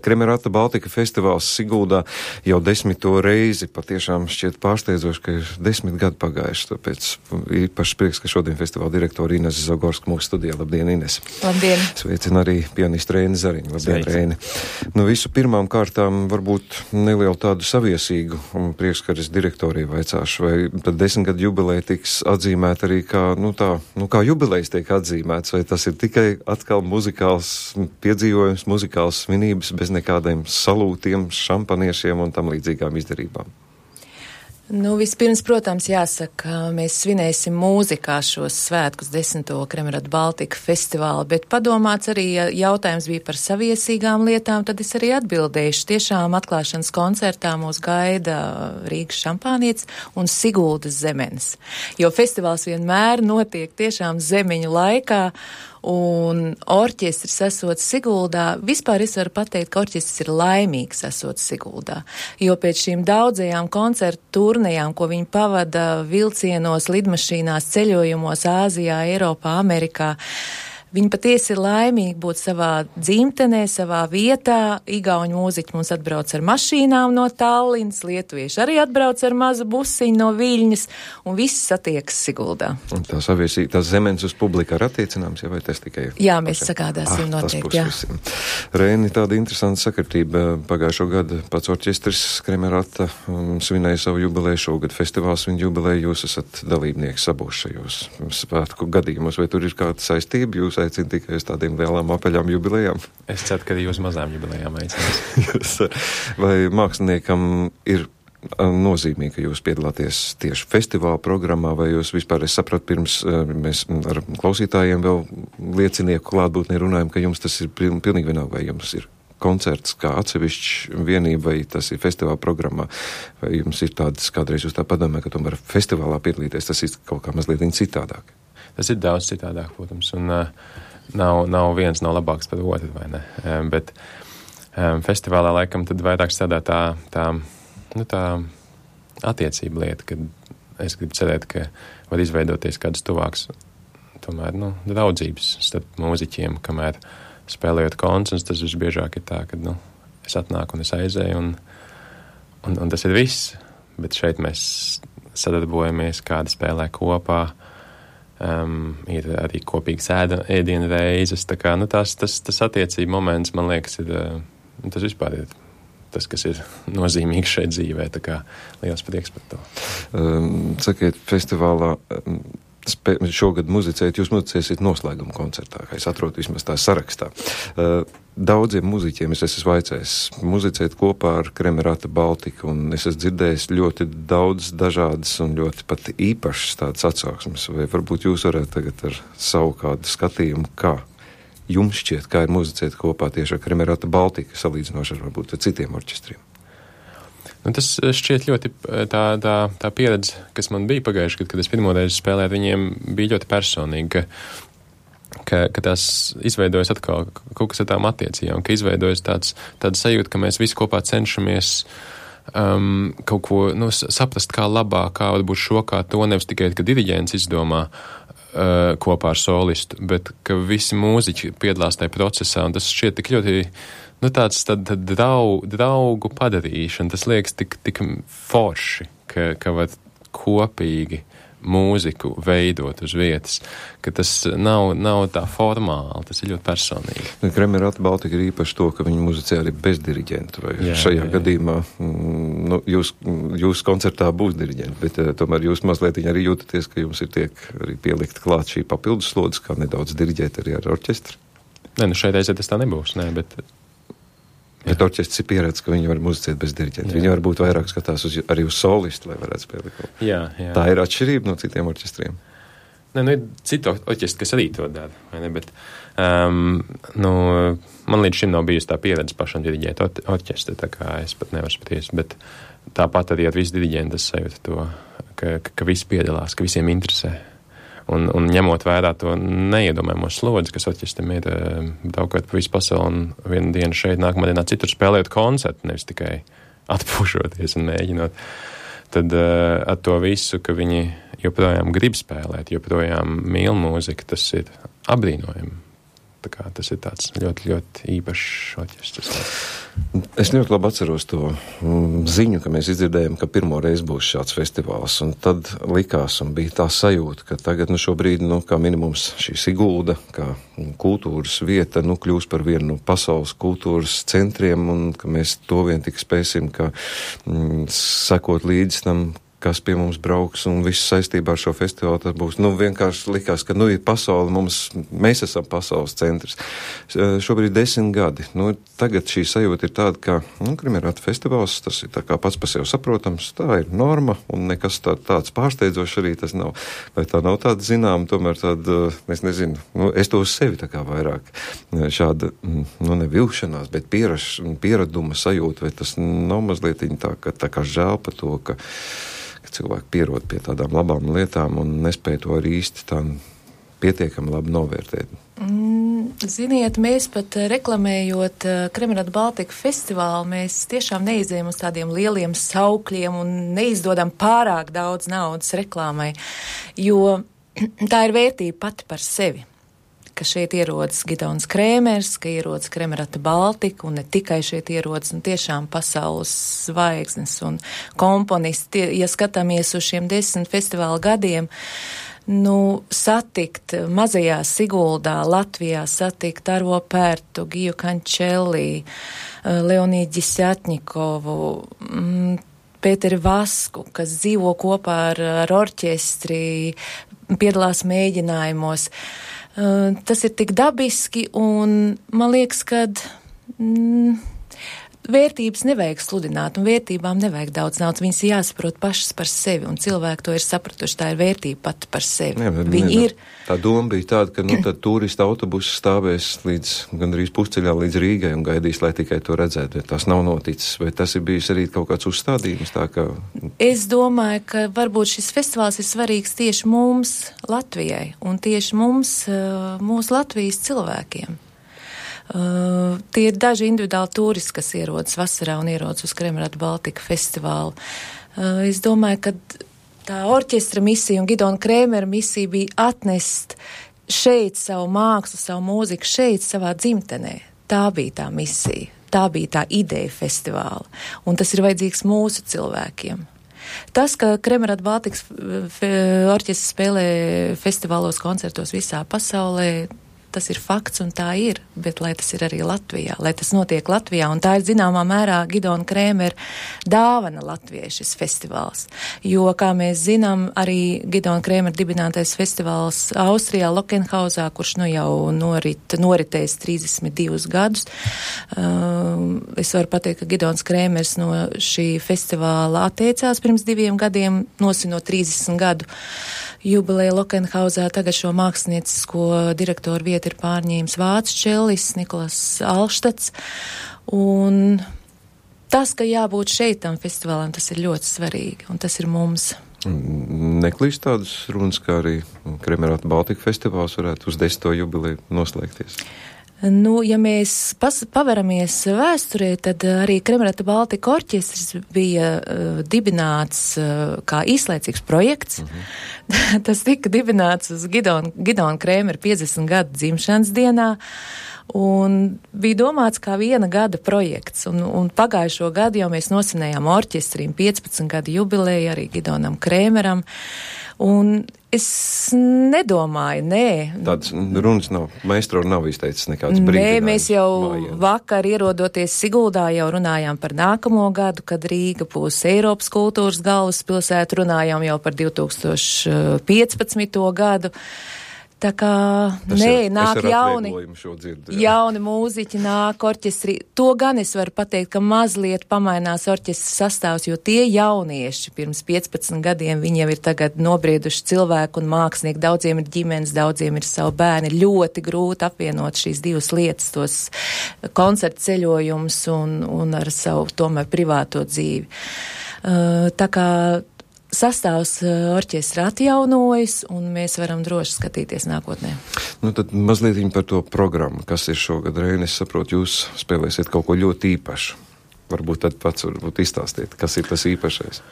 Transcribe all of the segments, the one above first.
Kremerata Baltika festivāls Siguldā jau 10. reizi. Patiešām šķiet pārsteidzoši, ka ir 10 gadi pagājuši. Tāpēc īpaši prieks, ka šodien festivāla direktora Inese Zagorska mūsu studijā. Labdien, Inese. Labdien. Sveicina arī pianistu Reini Zariņu. Labdien, Reini. Visu pirmām kārtām varbūt nelielu tādu saviesīgu priekšskaras direktoriju vaicāšu, vai tad 10 gadu jubileja tiks atzīmēta arī kā jubilejas tiek atzīmēts, vai tas ir tikai atkal muzikāls piedzīvojums, muzikāls svinības bez nekādiem salūtiem, šampaniešiem un tam līdzīgām izdarībām? Vispirms, protams, jāsaka, mēs svinēsim mūzikā šos svētkus 10. Kremerata Baltika festivālu, bet padomāts arī, ja jautājums bija par saviesīgām lietām, tad es arī atbildēšu. Tiešām atklāšanas koncertā mūs gaida Rīgas šampānietis un Siguldas zemenes, jo festivāls vienmēr notiek tiešām zemeņu laikā, un orķestris esot Siguldā, vispār es varu pateikt, ka orķestris ir laimīgs esot Siguldā, jo pēc šīm daudzajām koncertu turnejām, ko viņi pavada vilcienos, lidmašīnās, ceļojumos Āzijā, Eiropā, Amerikā, viņi patiesi ir laimīgi būt savā dzimtenē, savā vietā. Igauņu mūziķi mums atbrauc ar mašīnām no Tallinas, lietuvieši arī atbrauc ar mazu busiņu no Viļņas, un viss satiekas Siguldā. Un tās zemenes uz publiku ir attiecināms, ja vai tas tikai ir? Jā, mēs sagādāsim noteikti, jā. Reini, tāda interesanta sakritība. Pagājušo gadu pats orķestris Kremerata svinēja savu jubileju, šogad festivāls viņa jubileju, jūs esat dalībnieki abos šajos svētku gadījumos, vai tur ir kāda saistība? Jūs aicina tikai uz tādiem lielām apaļām jubilejām? Es ceru, ka jūs mazām jubilejām aicinās. Vai māksliniekam ir nozīmīgi, ka jūs piedalāties tieši festivāla programmā, vai jūs vispār, es sapratu, pirms mēs ar klausītājiem vēl liecinieku klātbūtnē runājam, ka jums tas ir pilnīgi vienalga, vai jums ir koncerts kā atsevišķs vienība, vai tas ir festivāla programmā, vai jums ir tādas, kādreiz jūs tā padomāja, ka tomēr festivālā piedalīties, tas ir kaut kā mazliet citādāk. Tas ir daudz citādāk, protams, un nav viens nav labāks par otru, vai ne? Bet festivālā laikam tad vairāk strādā tā attiecība lieta, kad es gribu cerēt, ka var izveidoties kādas tuvākas, tomēr, draudzības starp mūziķiem, kamēr spēlējot koncertus, tas visbiežāk ir tā, ka, es atnāku un es aizēju, un tas ir viss, bet šeit mēs sadarbojamies, kāda spēlē kopā, ir arī kopīgas ēdienu reizes, tā kā, tas attiecība moments, man liekas, ir, tas vispār ir tas, kas ir nozīmīgs šeit dzīvē, tā kā liels prieks par to. Sakiet, festivālā šogad muzicēt, jūs muzicēsiet noslēguma koncertā, kā es atrodu vismaz tā sarakstā. Daudziem muziķiem es esmu vaicājis muzicēt kopā ar Kremerata Baltiku, un es esmu dzirdējis ļoti daudz dažādas un ļoti pat īpašas tādas atsauksmes, vai varbūt jūs varētu tagad ar savu kādu skatījumu, kā jums šķiet, kā ir muzicēt kopā tieši ar Kremerata Baltiku, salīdzinoši ar varbūt ar citiem orķestriem? Tas šķiet ļoti tā pieredze, kas man bija pagājuši, kad es pirmoreiz spēlēju, viņiem bija ļoti personīgi, ka tās izveidojas atkal kaut kas ar tām attiecībām, ka izveidojas tāda sajūta, ka mēs visi kopā cenšamies kaut ko saprast, kā labāk, kā varbūt šo, kā to, nevis tikai, ka diriģents izdomā kopā ar solistu, bet ka visi mūziķi piedalās tajā procesā, un tas šķiet tik ļoti tāds draugu padarīšana, tas liekas tik forši, ka var kopīgi mūziku veidot uz vietas, ka tas nav tā formāli, tas ir ļoti personīgi. Kremerata Baltika ir īpaši to, ka viņi muzicē arī bez diriģenta, vai šajā gadījumā, jūs koncertā būs diriģenti, bet tomēr jūs mazliet arī jūtaties, ka jums ir tiek arī pielikt klāt šī papildus slodzes, kā nedaudz diriģēt arī ar orķestri? Šai reizē tas tā nebūs, Bet orķestris ir pieredze, ka viņi var muzicēt bez diriģenta. Viņi varbūt vairāk skatās arī uz solistu, lai varētu spēlēt. Jā. Tā ir atšķirība no citiem orķestriem. Ir citi orķestri, kas arī to dara, vai ne? Bet, man līdz šim nav bijusi tā pieredze pašam diriģēt orķestri, tā kā es pat nevaru spriest, bet tāpat arī ar visu diriģentu es sajūtu to, ka visi piedalās, ka visiem interesē. Un ņemot vērā to neiedomājamo slodzi, kas orķestram ir braukot pa visu pasauli un vienu dienu šeit, nākamā dienā citur spēlējot koncertu, nevis tikai atpūšoties un mēģinot, tad ar to visu, ka viņi joprojām grib spēlēt, joprojām mīl mūziku, tas ir apbrīnojami. tā kā tas ir tāds ļoti, ļoti īpašs orķestris. Es ļoti labi atceros to ziņu, ka mēs izdzirdējām, ka pirmo reizi būs šāds festivāls, un tad likās un bija tā sajūta, ka tagad, šobrīd, kā minimums šī Sigulda, kā kultūras vieta, kļūs par vienu no pasaules kultūras centriem, un ka mēs to vien tik spēsim, ka sekot līdz tam, kas pie mums brauks, un viss saistībā ar šo festivālu, tas būs, vienkārši likās, ka, ir pasaule, mēs esam pasaules centrs. Šobrīd 10 gadi. Tagad šī sajūta ir tāda, ka, Kremerata festivāls, tas ir tā kā pats par sevi saprotams, tā ir norma, un nekas tāds pārsteidzošs arī tas nav. Vai tā nav tāda zinām, tomēr tāda, es nezinu, es to uz sevi tā kā vairāk šāda, nevilšanās, bet pieraduma sajūta, vai tas nav mazliet tā kā žēl par to, ka cilvēki pierod pie tādām labām lietām un nespēja to arī īsti tā pietiekami labi novērtēt. Ziniet, mēs pat reklamējot Kremerata Baltika festivālu, mēs tiešām neizējam uz tādiem lieliem saukļiem un neizdodam pārāk daudz naudas reklāmai, jo tā ir vērtība pati par sevi. Ka šeit ierodas Gidons Krēmers, ka ierodas Kremerata Baltika, un ne tikai šeit ierodas, tiešām pasaules zvaigznes un komponisti. Ja skatāmies uz šiem 10 festivāla gadiem, satikt mazajā Siguldā, Latvijā, satikt Arvo Pērtu, Giju Kančelī, Leonīdu Ģisjatņikovu, Pēteri Vasku, kas dzīvo kopā ar orķestri, piedalās mēģinājumos. Tas ir tik dabiski, un man liekas, ka vērtības nevajag sludināt, un vērtībām nevajag daudz naudas. Viņas ir jāsaprot pašas par sevi, un cilvēki to ir sapratuši. Tā ir vērtība pati par sevi. Ir. Tā doma bija tāda, ka tad turistu autobusu stāvēs līdz gandrīz pusceļā līdz Rīgai un gaidīs, lai tikai to redzētu. Tas nav noticis. Vai tas ir bijis arī kaut kāds uzstādījums? Es domāju, ka varbūt šis festivāls ir svarīgs tieši mums, Latvijai, un tieši mums, mūsu Latvijas cilvēkiem. Tie ir daži individuāli turisti, kas ierodas vasarā un ierodas uz Kremerata Baltika festivālu. Es domāju, ka tā orķestra misija un Gidona Krēmera misija bija atnest šeit savu mākslu, savu mūziku, šeit savā dzimtenē. Tā bija tā misija, tā bija tā ideja festivāla, un tas ir vajadzīgs mūsu cilvēkiem. Tas, ka Kremerata Baltikas orķestris spēlē festivālos, koncertos visā pasaulē, tas ir fakts un tā ir, bet lai tas ir arī Latvijā, lai tas notiek Latvijā, un tā ir zināmā mērā Gidona Krēmera dāvana Latvijai šis festivāls. Jo, kā mēs zinām, arī Gidona Krēmera dibinātais festivāls Austrijā, Lokenhausā, kurš jau noritējis 32 gadus. Es varu pateikt, ka Gidons Krēmers no šī festivāla atteicās pirms 2 gadiem, nosinot 30 gadu jubileja Lokenhausā. Tagad šo māksliniecisko direktoru vietu ir pārņēmis vācu čellis Nikolas Alštats. Un tas, ka jābūt šeit tam festivālam, tas ir ļoti svarīgi, un tas ir mums. Neklīst tādas runas, kā arī Kremerata Baltika festivāls varētu uz 10. jubileju noslēgties? Ja mēs paveramies vēsturē, tad arī Kremerata Baltika orķestris bija dibināts kā īslaicīgs projekts. Tas tika dibināts uz Gidona Krēmera 50 gadu dzimšanas dienā un bija domāts kā 1 gada projekts. Un pagājušo gadu jau mēs nosinējām orķestrim 15 gadu jubileju arī Gidonam Krēmeram. Un es nedomāju, Tāds runas nav, maestro nav izteicis nekāds brīdinājums. Mēs jau vakar ierodoties Siguldā jau runājām par nākamo gadu, kad Rīga būs Eiropas kultūras galvaspilsēta, runājām jau par 2015. gadu. Tā kā, nāk jauni mūziķi, nāk orķestri. To gan es varu pateikt, ka mazliet pamainās orķestras sastāvs, jo tie jaunieši pirms 15 gadiem, viņi jau ir tagad nobrieduši cilvēku un mākslinieki. Daudziem ir ģimenes, daudziem ir savu bērni. Ļoti grūti apvienot šīs divas lietas, tos koncertu ceļojumus un ar savu tomēr privāto dzīvi. Tā kā sastāvs orķestra atjaunojas, un mēs varam droši skatīties nākotnē. Tad mazliet par to programmu, kas ir šogad. Reini, es saprotu, jūs spēlēsiet kaut ko ļoti īpašu. Varbūt tad pats izstāstiet, kas ir tas īpašais.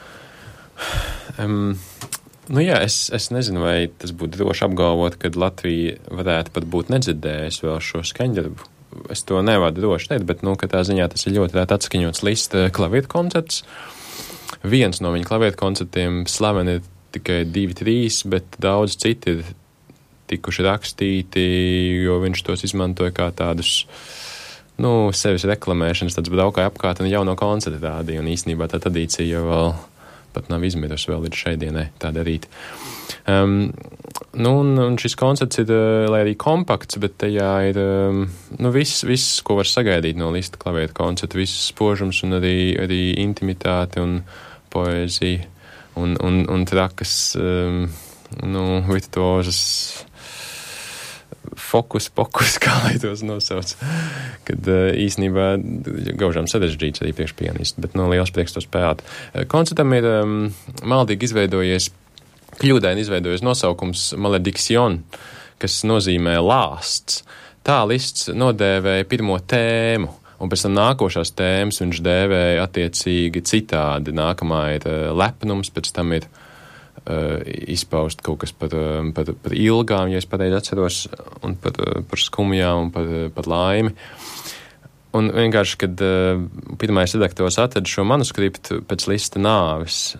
Nu jā, es nezinu, vai tas būtu droši apgalvot, ka Latvija varētu pat būt nedzirdējusi vēl šo skaņdarbu. Es to nevaru droši teikt, bet, katrā ziņā tas ir ļoti rēt atskaņots Lista klavieru koncerts. Viens no viņa klavieru koncertiem slaveni ir tikai 2-3, bet daudz citi ir tikuši rakstīti, jo viņš tos izmantoja kā tādus, sevis reklamēšanas, tāds braukāja apkārt un jauno koncertu rādīja, un īstenībā tā tradīcija jau vēl pat nav izmirusi vēl līdz šai dienai tā darīt. Un šis koncerts ir, lai arī kompakts, bet tajā ir, viss, ko var sagaidīt no Lista klavieru koncerta, viss spožums un arī intimitāte un poēzija un trakas, virtuozas fokus, kā lai tos nosauc, kad īstenībā gaužām sarežģīts arī priekšpianisti, bet liels prieks to spēlēt. Koncertam ir maldīgi kļūdaini izveidojies nosaukums Malediksion, kas nozīmē lāsts. Tā Lists nodēvēja pirmo tēmu, un pēc tam nākošās tēmas viņš dēvēja attiecīgi citādi. Nākamā ir lepnums, pēc tam ir izpaust kaut kas par ilgām, ja es pareizi atceros, un par skumjām un par laimi. Un vienkārši, kad pirmais redaktors atrada šo manuskriptu pēc Lista nāves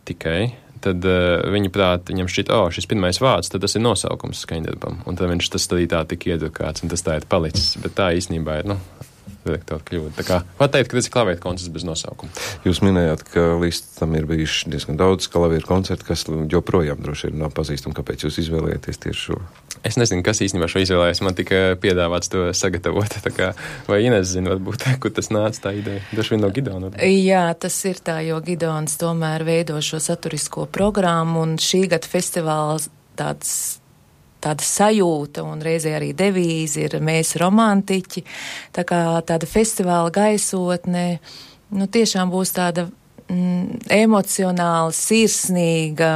tikai, tad viņa prāt, viņam šķita, šis pirmais vārds, tad tas ir nosaukums skaņdarbam. Un tad viņš tas arī tā tika iedrukāts, un tas tā ir palicis. Bet tā īstenībā ir, redaktora kļūda. Tā kā var teikt, ka tas ir klavieru koncerts bez nosaukuma. Jūs minējāt, ka Listam ir bijuši diezgan daudz klavieru koncertu, kas joprojām droši vien nav pazīstami. Kāpēc jūs izvēlējāties tieši šo? Es nezinu, kas īstenībā šo izvēlējās. Man tika piedāvāts to sagatavot. Tā kā, vai Ines zina, varbūt, kur tas nāca tā ideja? Droši vien no Gidona. Jā, tas ir tā, jo Gidons tomēr veido šo saturisko programmu, un šī gada festivāls tāda sajūta un reizē arī devīze ir mēs romantiķi. Tā kā tāda festivāla gaisotne, tiešām būs tāda emocionāla, sirsnīga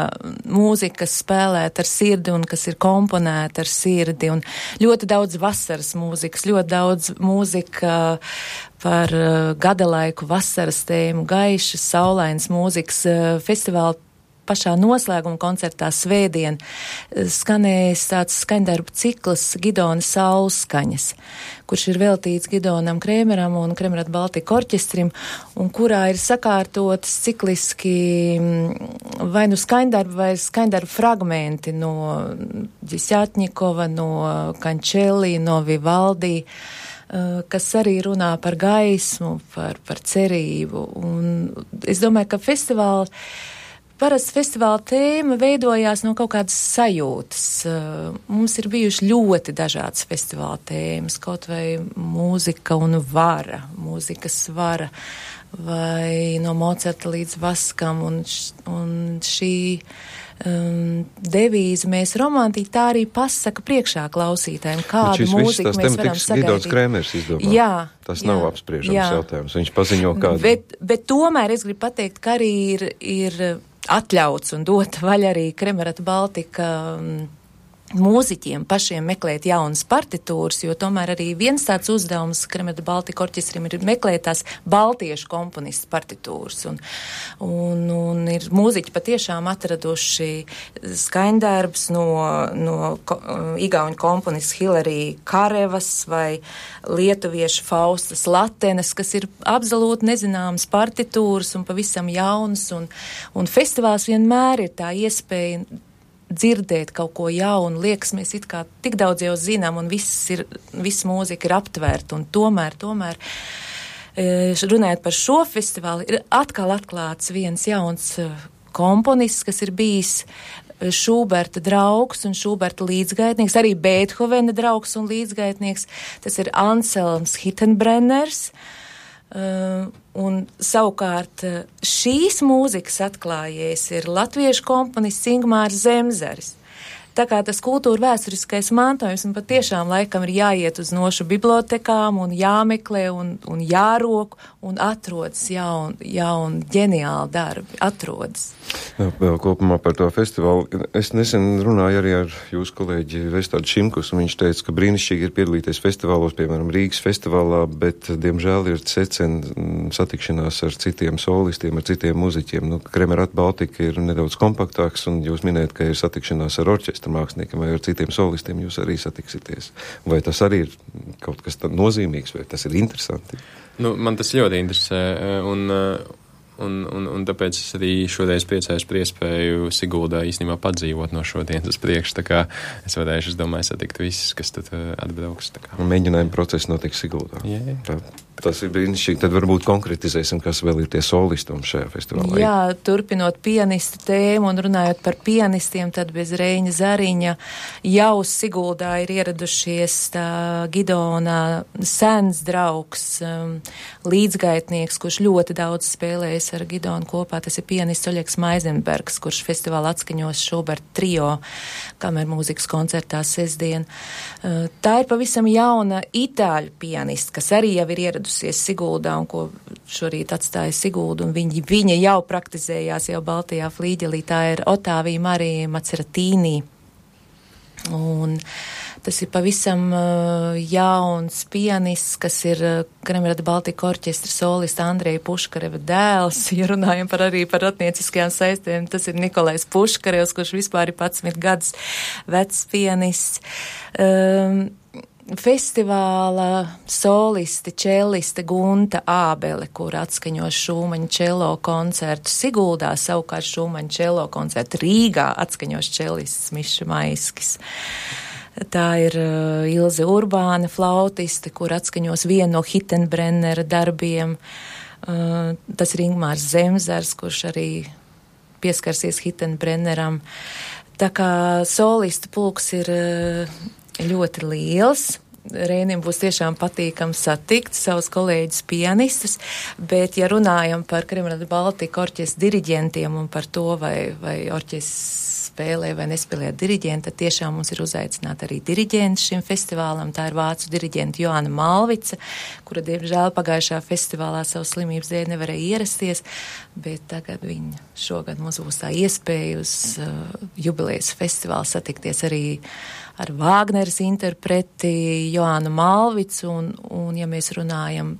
mūzika, kas spēlēta ar sirdi un kas ir komponēta ar sirdi. Un ļoti daudz vasaras mūzikas, ļoti daudz mūzika par gada laiku, vasaras tēmu, gaišas, saulainas mūzikas. Festivāla pašā noslēguma koncertā svētdien skanēs tāds skaņdarbu cikls Gidona Saulskaņas, kurš ir veltīts Gidonam Krēmeram un Kremerata Baltika orķestrim, un kurā ir sakārtotas cikliski vai skaņdarbi vai skaņdarbu fragmenti no Ģisjatņikova, no Kančeli, no Vivaldi, kas arī runā par gaismu, par cerību. Un es domāju, ka parasti festivāla tēma veidojās no kaut kādas sajūtas. Mums ir bijuši ļoti dažādas festivāla tēmas, kaut vai mūzika un vara, mūzikas vara, vai no Mocarta līdz Vaskam, un šī devīze mēs romantiķi tā arī pasaka priekšā klausītājiem, kādu mūziku mēs varam sagaidīt. Gidons Krēmers izdomā. Jā. Tas nav apspriežams jautājums. Viņš paziņo kādu. Bet tomēr es gribu pateikt, ka arī ir atļauts un dot vaļa arī Kremerata Baltika mūziķiem pašiem meklēt jaunas partitūras, jo tomēr arī viens tāds uzdevums Kremerata Baltika orķestrim ir meklēt tās baltiešu komponistu partitūras. Un ir mūziķi patiešām atraduši skaņdarbs no igauņu komponists Hilary Karevas vai lietuviešu Faustas Latenes, kas ir absolūti nezināmas partitūras un pavisam jaunas. Un festivāls vienmēr ir tā iespēja dzirdēt kaut ko jaunu, liekas, mēs it kā tik daudz jau zinām, un viss mūzika ir aptvērta, un tomēr, runājot par šo festivālu, ir atkal atklāts viens jauns komponists, kas ir bijis Šūberta draugs un Šūberta līdzgaitnieks, arī Beethovena draugs un līdzgaitnieks, tas ir Anselms Hittenbrenners. Un savukārt šīs mūzikas atklājies ir latviešu komponists Ingmārs Zemzaris. tā kā tas kultūra vēsturiskais mantojums un patiešām laikam ir jāiet uz nošu bibliotekām un jāmeklē un jārok un atrodas jauni ģeniāli darbi, atrodas. Jā, vēl kopumā par to festivālu. Es nesen runāju arī ar jūsu kolēģi Vestādu Šimkus, un viņš teica, ka brīnišķīgi ir piedalīties festivālos, piemēram, Rīgas festivālā, bet, diemžēl, ir secen satikšanās ar citiem solistiem, ar citiem muziķiem. Nu, Kremerat Baltika ir nedaudz kompaktāks, un jūs minējat, ka ir satikšanās ar orķestra māksliniekiem vai ar citiem solistiem, jūs arī satiksities. Vai tas arī ir kaut kas nozīmīgs, vai tas ir interesanti? Nu, man tas ļoti interesē, un tāpēc es arī šodien priecājos par iespēju Siguldā īstenībā padzīvot no šodienas uz priekšu, tā kā es varēšu, es domāju, satikt visus, kas tad atbrauks. Un mēģinājuma process notiks Siguldā. Jā. Tas ir brīnišķīgi. Tad varbūt konkretizēsim, kas vēl ir tie solisti un šajā festivālā. Jā, turpinot pianistu tēmu un runājot par pianistiem, tad bez Reiņa Zariņa jau Siguldā ir ieradušies Gidona sens draugs, līdzgaitnieks, kurš ļoti daudz spēlējis ar Gidonu kopā. Tas ir pianists Oļegs Maizenbergs, kurš festivālā atskaņos Šubert trio kamermūzikas koncertā sestdien. Tā ir pavisam jauna itāļu pianista, kas arī jau ir ieradusies Siguldā un ko šorīt atstāja Siguldu, un viņa jau praktizējās jau Baltijā flīģelī. Tā ir Otāvija Marija Maceratīnī. Un tas ir pavisam jauns pianists, kas ir Kremerata Baltika orķestra solista Andreja Puškareva dēls. Ja runājam arī par attieciskajām saistēm, tas ir Nikolais Puškarevs, kurš vispār ir 11 gadus vecs pianists. Festivāla solisti, čelliste Gunta Ābele, kur atskaņos Šūmaņa čelo koncertu Siguldā, savukārt Šūmaņa čelo koncertu Rīgā atskaņos čellists Miša Maiskis. Tā ir Ilze Urbāne, flautiste, kur atskaņos vienu no Hitenbrennera darbiem. Tas ir Ingmārs Zemzars, kurš arī pieskarsies Hitenbrenneram. Tā kā solistu pulks ir ļoti liels. Reinim būs tiešām patīkami satikt savus kolēģus pianistus, bet ja runājam par Kremerata Baltika orķestra diriģentiem un par to, vai orķestrs spēlē vai nespēlē diriģenti, tad tiešām mums ir uzaicināta arī diriģents šim festivālam. Tā ir vācu diriģenta Joana Malvica, kura, diemžēl, pagājušā festivālā savu slimības dēļ nevarēja ierasties, bet tagad viņa šogad mums būs tā iespēja uz jubilejas festivālu satikties arī ar Vāgneras interpreti Joānu Malvicu, un ja mēs runājam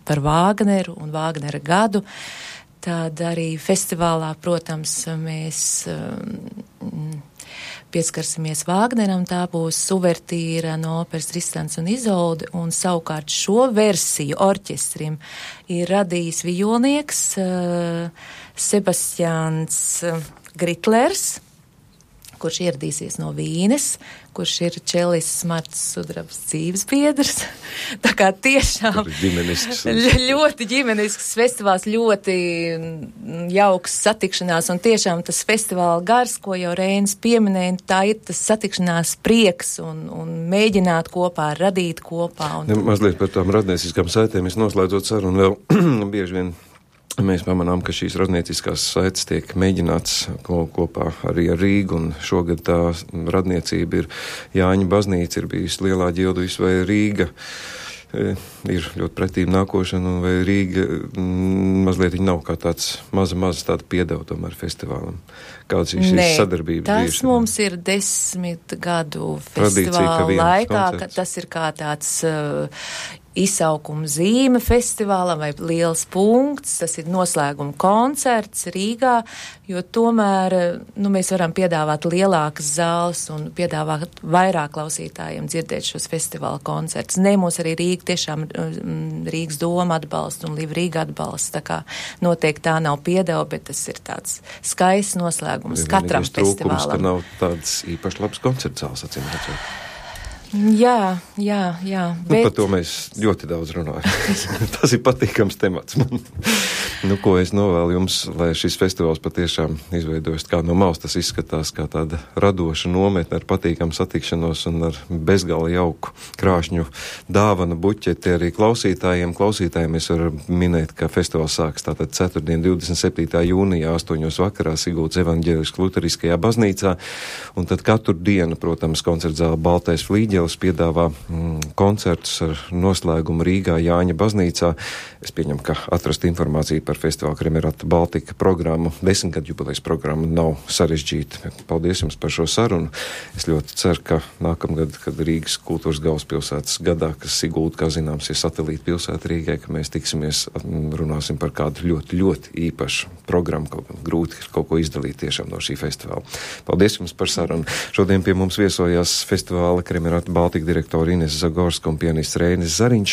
par Vāgneru un Vāgnera gadu, tad arī festivālā, protams, mēs pieskarsimies Vāgneram. Tā būs uvertīra no operas Tristans un Izolde, un savukārt šo versiju orķestrim ir radījis vijolnieks Sebastians Gritlers, kurš ieradīsies no Vīnes, kurš ir čellists Marts Sudrabs dzīves biedrs. Tā kā tiešām ļoti ģimenisks festivāls, ļoti jauks satikšanās, un tiešām tas festivāla gars, ko jau Reinis pieminēja, tā ir tas satikšanās prieks un mēģināt kopā, radīt kopā. Mazliet par tām radnieciskām saitēm, es noslēdzot sarunu vēl bieži vien. Mēs pamanām, ka šīs radnieciskās saites tiek mēģināts kopā arī ar Rīgu, un šogad tā radniecība ir Jāņa baznīca, ir bijis Lielā Ģilduvis vai Rīga. Ir ļoti pretīm nākošana, un vai Rīga mazliet viņa nav kā tāds maza tāda piedeva tomēr festivālam. Kāds ir šīs sadarbības? Tas mums ir 10 gadu festivāla laikā, ka tas ir kā tāds izsaukuma zīme festivālam vai liels punkts, tas ir noslēguma koncerts Rīgā, jo tomēr mēs varam piedāvāt lielākas zāles un piedāvāt vairāk klausītājiem dzirdēt šos festivāla koncertus. Mūs arī Rīga tiešām Rīgas doma atbalsta un Liva Rīga atbalsta, tā kā noteikti tā nav piedeva, bet tas ir tāds skaists noslēgums katram festivālam. Trūkums, ka nav tāds īpaši labs koncerts zāles, acīm redzot. Jā. Bet par to mēs ļoti daudz runājam. Tas ir patīkams temats man. Nu, ko es novēlu jums, lai šis festivāls patiešām izveidojas kā no malas, tas izskatās kā tāda radoša nometne ar patīkamu satikšanos un ar bezgala jauku krāšņu dāvanu buķeti arī klausītājiem. Klausītājiem es varu minēt, ka festivāls sāks tātad ceturtdien 27. jūnijā 8. vakarā Siguldas evaņģēliskajā luteriskajā baznīcā, un tad katru dienu, protams, koncertzāle Baltais flīģelis piedāvā koncertus ar noslēgumu Rīgā Jāņa baznīcā. Es pieņemu, ka atrast informāciju par festivālu Kremerata Baltika programmu, 10-gadu jubilejas programmu nav sarežģīta. Paldies jums par šo sarunu. Es ļoti ceru, ka nākamgad, kad Rīgas kultūras galvaspilsētas gadā, kas Sigulda, kā zināms, ir satelīta pilsēta Rīgai, ka mēs tiksimies, runāsim par kādu ļoti, ļoti īpašu programmu, grūti kaut ko izdalīt tiešām no šī festivāla. Paldies jums par sarunu. Šodien pie mums viesojās festivāla Kremerata Baltika direktora Ines Zagorska un pianists Reinis Zariņš.